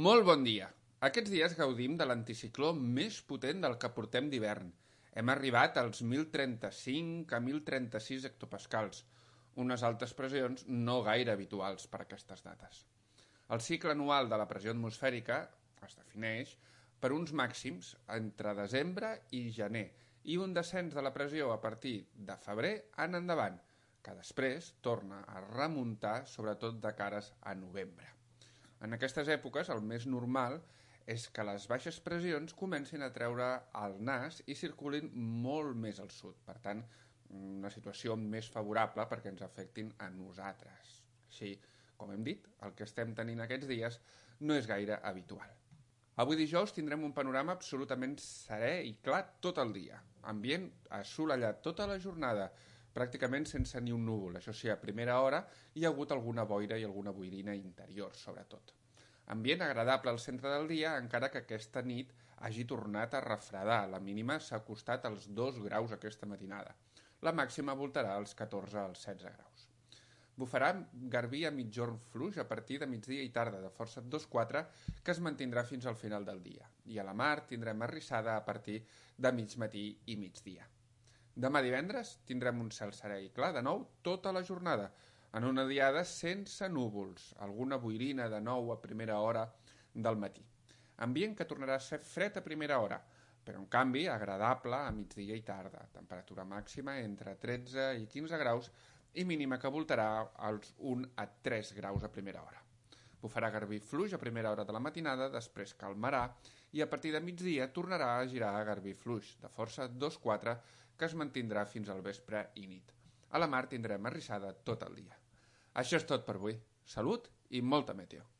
Molt bon dia. Aquests dies gaudim de l'anticicló més potent del que portem d'hivern. Hem arribat als 1.035 a 1.036 hectopascals, unes altes pressions no gaire habituals per aquestes dates. El cicle anual de la pressió atmosfèrica es defineix per uns màxims entre desembre i gener i un descens de la pressió a partir de febrer en endavant, que després torna a remuntar sobretot de cares a novembre. En aquestes èpoques el més normal és que les baixes pressions comencin a treure el nas i circulin molt més al sud, per tant, una situació més favorable perquè ens afectin a nosaltres. Així, com hem dit, el que estem tenint aquests dies no és gaire habitual. Avui dijous tindrem un panorama absolutament serè i clar tot el dia. Ambient assolellat tota la jornada, pràcticament sense ni un núvol. Això sí, a primera hora hi ha hagut alguna boira i alguna boirina interior, sobretot. Ambient agradable al centre del dia, encara que aquesta nit hagi tornat a refredar. La mínima s'ha acostat als 2 graus aquesta matinada. La màxima voltarà als 14 als 16 graus. Bufarà garbí a mitjorn fluix a partir de migdia i tarda, de força 2-4, que es mantindrà fins al final del dia. I a la mar tindrem arrissada a partir de mig matí i migdia. Demà divendres tindrem un cel serè i clar de nou tota la jornada, en una diada sense núvols, alguna boirina de nou a primera hora del matí. Ambient que tornarà a ser fred a primera hora, però en canvi agradable a migdia i tarda, temperatura màxima entre 13 i 15 graus i mínima que voltarà als 1 a 3 graus a primera hora. Bufarà garbí fluix a primera hora de la matinada, després calmarà i a partir de migdia tornarà a girar a garbí fluix, de força 2-4, que es mantindrà fins al vespre i nit. A la mar tindrem arrissada tot el dia. Això és tot per avui. Salut i molta meteo.